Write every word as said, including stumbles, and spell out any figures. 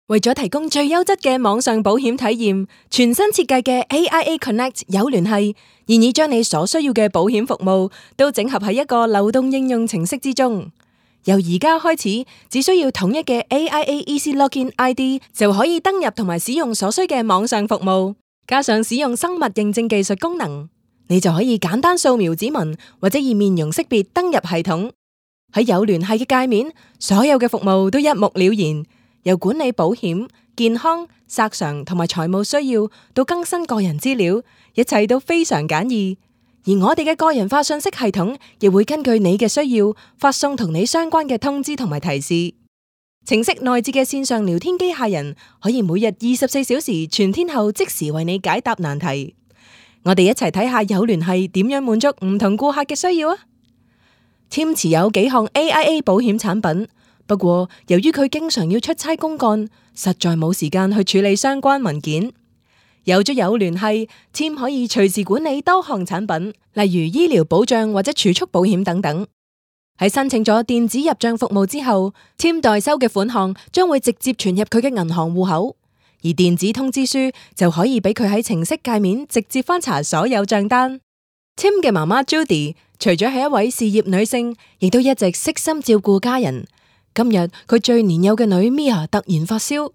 為咗提供最優質嘅網上保險體驗，全新設計嘅 A I A Connect 有聯繫，現已將你所需要嘅保險服務都整合喺一個流動應用程式之中。由而家開始，只需要統一嘅 A I A Easy Login I D 就可以登入同埋使用所需嘅網上服務，加上使用生物認證技術功能，你就可以簡單掃描指紋或者以面容識別登入系統。喺有聯繫嘅界面，所有嘅服務都一目了然。由管理保險、健康、索償同埋財務需要到更新個人資料，一切都非常簡易。而我哋嘅個人化信息系統亦會根據你嘅需要發送同你相關嘅通知同埋提示。程式內置嘅線上聊天機械人可以每日二十四小時全天候即時為你解答難題。我哋一齊睇下有聯繫點樣滿足唔同顧客嘅需要啊！Tim 持有幾項 A I A 保險產品。不過，由於佢經常要出差公幹，實在冇時間去處理相關文件。有咗有聯繫，Tim 可以隨時管理多項產品，例如醫療保障或者儲蓄保險等等。喺申請咗電子入賬服務之後，Tim 代收嘅款項將會直接存入佢嘅銀行戶口，而電子通知書就可以俾佢喺程式界面直接翻查所有賬單。Tim 嘅媽媽 Judy 除咗係一位事業女性，亦都一直悉心照顧家人。今日佢最年幼嘅女 Mia 突然發燒，